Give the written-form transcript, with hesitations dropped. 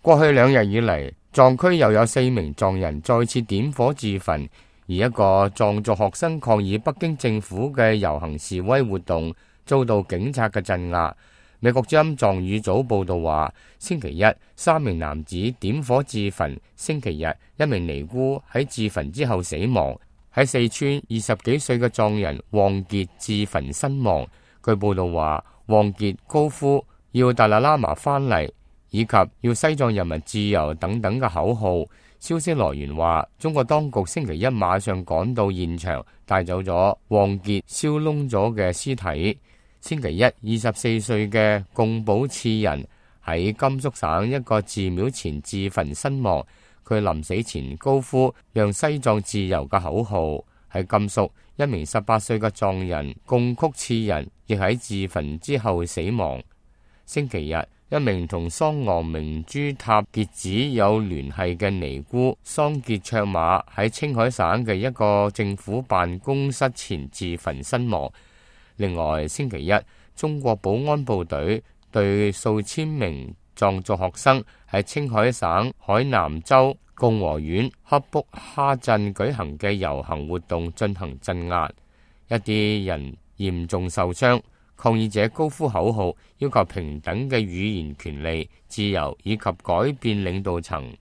過去2日以嚟，藏區又有4名藏人再次點火自焚，而一個藏族學生抗議北京政府嘅遊行示威活動遭到警察嘅鎮壓。美國之音藏語組報道話，星期一3名男子點火自焚，星期日1名尼姑喺自焚之後死亡。喺四川20幾歲嘅藏人旺傑自焚身亡。據報道話，旺傑高呼要達賴喇嘛翻嚟，以及要西藏人民自由等等嘅口號。消息來源話，中國當局星期一晚上趕到現場，帶走咗旺傑燒燶咗嘅屍體。星期一24歲嘅貢寶次人喺甘肅省一個寺廟前自焚身亡。佢臨死前高呼讓西藏自由嘅口號。喺甘肅，一名18歲嘅藏人貢曲次人亦喺自焚之後死亡。星期日，一名同桑昂明珠塔傑子有聯繫嘅尼姑桑傑卓瑪喺青海省嘅一個政府辦公室前自焚身亡。另外，星期一，中國保安部隊對數千名藏族學生喺青海省海南州共和縣喀卜哈鎮舉行嘅遊行活動進行鎮壓，一啲人嚴重受傷。抗議者高呼口號，要求平等嘅語言權利、自由以及改變領導層。